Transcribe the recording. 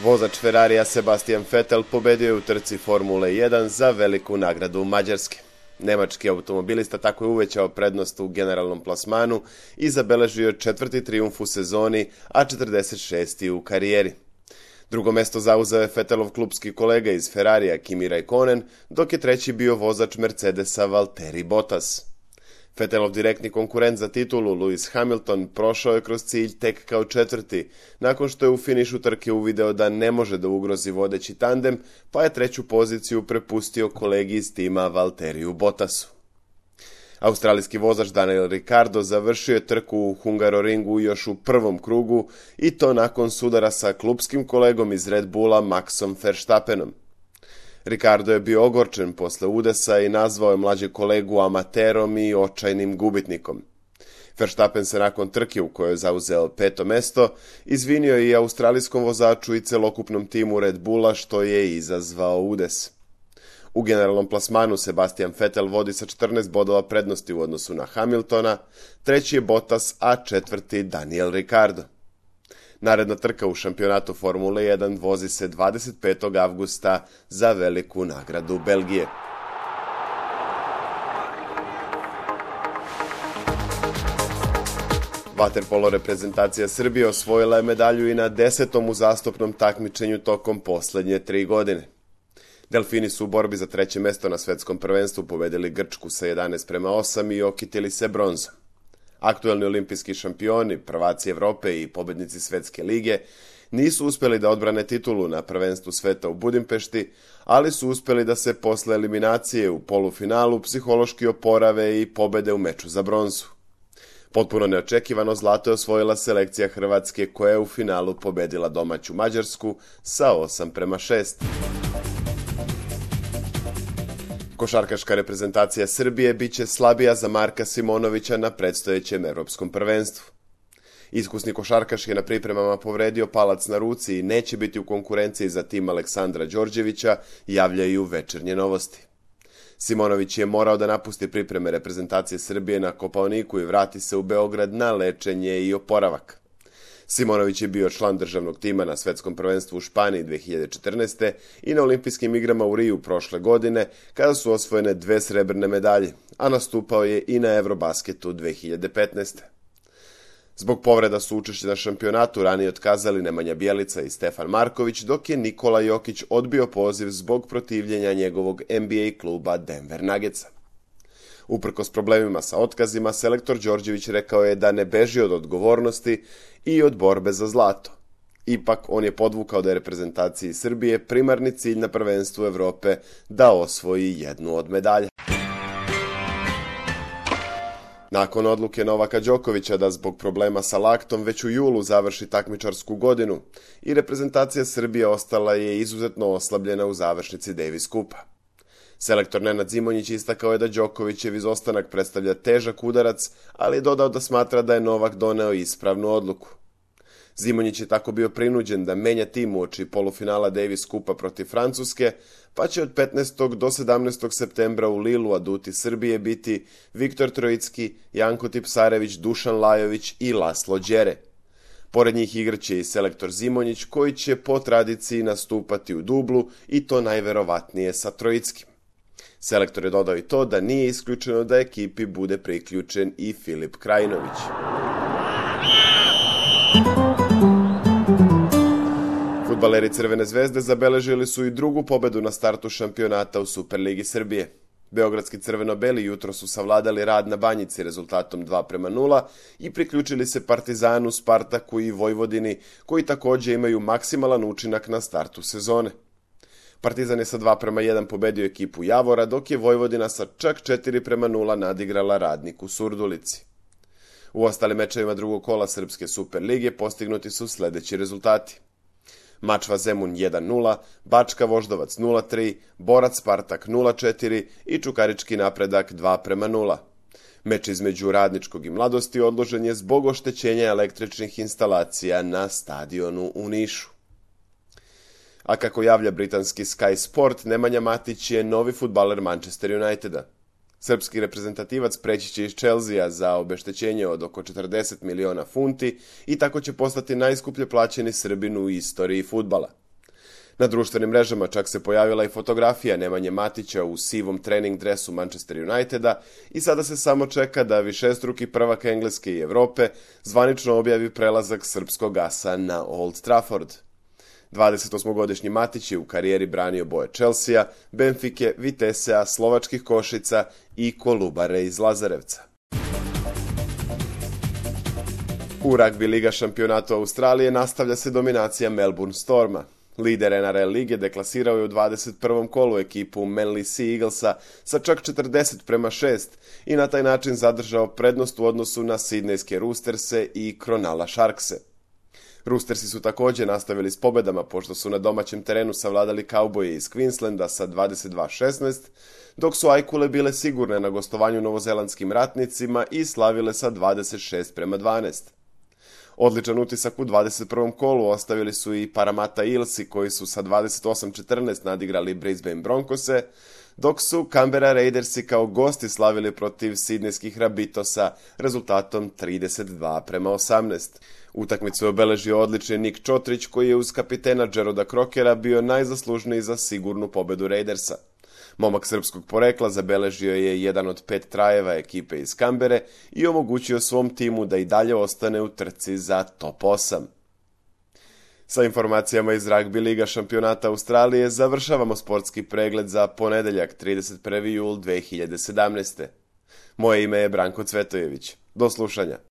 Vozač Ferrarija Sebastian Vettel pobedio je u trci Formule 1 za veliku nagradu Mađarske. Nemački automobilista tako je uvećao prednost u generalnom plasmanu i zabeležio 4. trijumf u sezoni, a 46. u karijeri. Drugo mesto zauzeo je Vettelov klupski kolega iz Ferrarija Kimi Räikkönen, dok je treći bio vozač Mercedesa Valtteri Bottas. Vettelov direktni konkurent za titulu Lewis Hamilton prošao je kroz cilj tek kao četvrti, nakon što je u finišu trke uvideo da ne može da ugrozi vodeći tandem, pa je treću poziciju prepustio kolegi iz tima Valtteriju Bottasu. Australijski vozač Daniel Ricciardo završio je trku u Hungaroringu još u prvom krugu i to nakon sudara sa klupskim kolegom iz Red Bulla Maxom Verstappenom. Ricciardo je bio ogorčen posle udesa i nazvao je mlađeg kolegu amaterom i očajnim gubitnikom. Verstappen se nakon trke u kojoj je zauzeo 5. mesto izvinio i australijskom vozaču i celokupnom timu Red Bulla što je izazvao udes. U generalnom plasmanu Sebastian Vettel vodi sa 14 bodova prednosti u odnosu na Hamiltona, treći je Bottas, a četvrti Daniel Ricciardo. Naredna trka u šampionatu Formule 1 vozi se 25. avgusta za veliku nagradu Belgije. Vaterpolo reprezentacija Srbije osvojila je medalju i na 10. uzastopnom takmičenju tokom posljednje 3 godine. Delfini su u borbi za treće mesto na svetskom prvenstvu pobedili Grčku sa 11:8 i okitili se bronzom. Aktuelni olimpijski šampioni, prvaci Evrope i pobednici Svetske lige nisu uspjeli da odbrane titulu na prvenstvu sveta u Budimpešti, ali su uspjeli da se posle eliminacije u polufinalu psihološki oporave i pobede u meču za bronzu. Potpuno neočekivano zlato je osvojila selekcija Hrvatske koja je u finalu pobedila domaću Mađarsku sa 8:6. Košarkaška reprezentacija Srbije biće slabija za Marka Simonovića na predstojećem evropskom prvenstvu. Iskusni košarkaš je na pripremama povredio palac na ruci i neće biti u konkurenciji za tim Aleksandra Đorđevića, javljaju Večernje novosti. Simonović je morao da napusti pripreme reprezentacije Srbije na Kopaoniku i vrati se u Beograd na lečenje i oporavak. Simonović je bio član državnog tima na svetskom prvenstvu u Španiji 2014. i na olimpijskim igrama u Riju prošle godine, kada su osvojene 2 srebrne medalje, a nastupao je i na Eurobasketu 2015. Zbog povreda su učešće na šampionatu ranije otkazali Nemanja Bjelica i Stefan Marković, dok je Nikola Jokić odbio poziv zbog protivljenja njegovog NBA kluba Denver Nuggetsa. Uprkos problemima sa otkazima, selektor Đorđević rekao je da ne beži od odgovornosti i od borbe za zlato. Ipak, on je podvukao da je reprezentaciji Srbije primarni cilj na prvenstvu Evrope da osvoji jednu od medalja. Nakon odluke Novaka Đokovića da zbog problema sa laktom već u julu završi takmičarsku godinu i reprezentacija Srbije ostala je izuzetno oslabljena u završnici Davis Kupa. Selektor Nenad Zimonjić istakao je da Đokovićev izostanak predstavlja težak udarac, ali je dodao da smatra da je Novak doneo ispravnu odluku. Zimonjić je tako bio prinuđen da menja tim uoči polufinala Davis Kupa protiv Francuske, pa će od 15. do 17. septembra u Lilu aduti Srbije biti Viktor Trojicki, Janko Tipsarević, Dušan Lajović i Laslo Đere. Pored njih igraće i selektor Zimonjić, koji će po tradiciji nastupati u dublu i to najverovatnije sa Trojickim. Selektor je dodao i to da nije isključeno da ekipi bude priključen i Filip Krajinović. Fudbaleri Crvene zvezde zabeležili su i drugu pobedu na startu šampionata u Superligi Srbije. Beogradski crveno-beli jutro su savladali Rad na Banjici rezultatom 2:0 i priključili se Partizanu, Spartaku i Vojvodini, koji također imaju maksimalan učinak na startu sezone. Partizan je sa 2:1 pobedio ekipu Javora, dok je Vojvodina sa čak 4:0 nadigrala Radnik u Surdulici. U ostalim mečevima drugog kola Srpske Superlige postignuti su sljedeći rezultati: Mačva Zemun 1:0, Bačka Voždovac 0:3, Borac Spartak 0:4 i Čukarički Napredak 2:0. Meč između Radničkog i Mladosti odložen je zbog oštećenja električnih instalacija na stadionu u Nišu. A kako javlja britanski Sky Sport, Nemanja Matić je novi fudbaler Manchester Uniteda. Srpski reprezentativac preći će iz Chelsea za obeštećenje od oko 40 miliona funti i tako će postati najskuplje plaćeni Srbin u istoriji fudbala. Na društvenim mrežama čak se pojavila i fotografija Nemanje Matića u sivom trening dresu Manchester Uniteda i sada se samo čeka da višestruki prvak Engleske i Evrope zvanično objavi prelazak srpskog asa na Old Trafford. 28-godišnji Matić je u karijeri branio boje Chelsea, Benfike, Vitesea, Slovačkih Košica i Kolubare iz Lazarevca. U ragbi liga šampionatu Australije nastavlja se dominacija Melbourne Storma. Lider NRL lige deklasirao je u 21. kolu ekipu Manly Sea Eaglesa sa čak 40:6 i na taj način zadržao prednost u odnosu na sidnejske Roosterse i Cronulla Sharkse. Roostersi su također nastavili s pobedama pošto su na domaćem terenu savladali Kauboje iz Queenslanda sa 22:16, dok su Ajkule bile sigurne na gostovanju novozelandskim ratnicima i slavile sa 26:12. Odličan utisak u 21. kolu ostavili su i Parramatta Eelsi koji su sa 28:14 nadigrali Brisbane Broncose, dok su Canberra Raidersi kao gosti slavili protiv sidnejskih Rabbitosa rezultatom 32:18. Utakmicu je obeležio odlični Nick Čotrić koji je uz kapitena Jeroda Krokera bio najzaslužniji za sigurnu pobedu Raidersa. Momak srpskog porekla zabeležio je jedan od 5 trajeva ekipe iz Kambere i omogućio svom timu da i dalje ostane u trci za top 8. Sa informacijama iz ragbi liga šampionata Australije završavamo sportski pregled za ponedeljak 31. jul 2017. Moje ime je Branko Cvetojević. Do slušanja.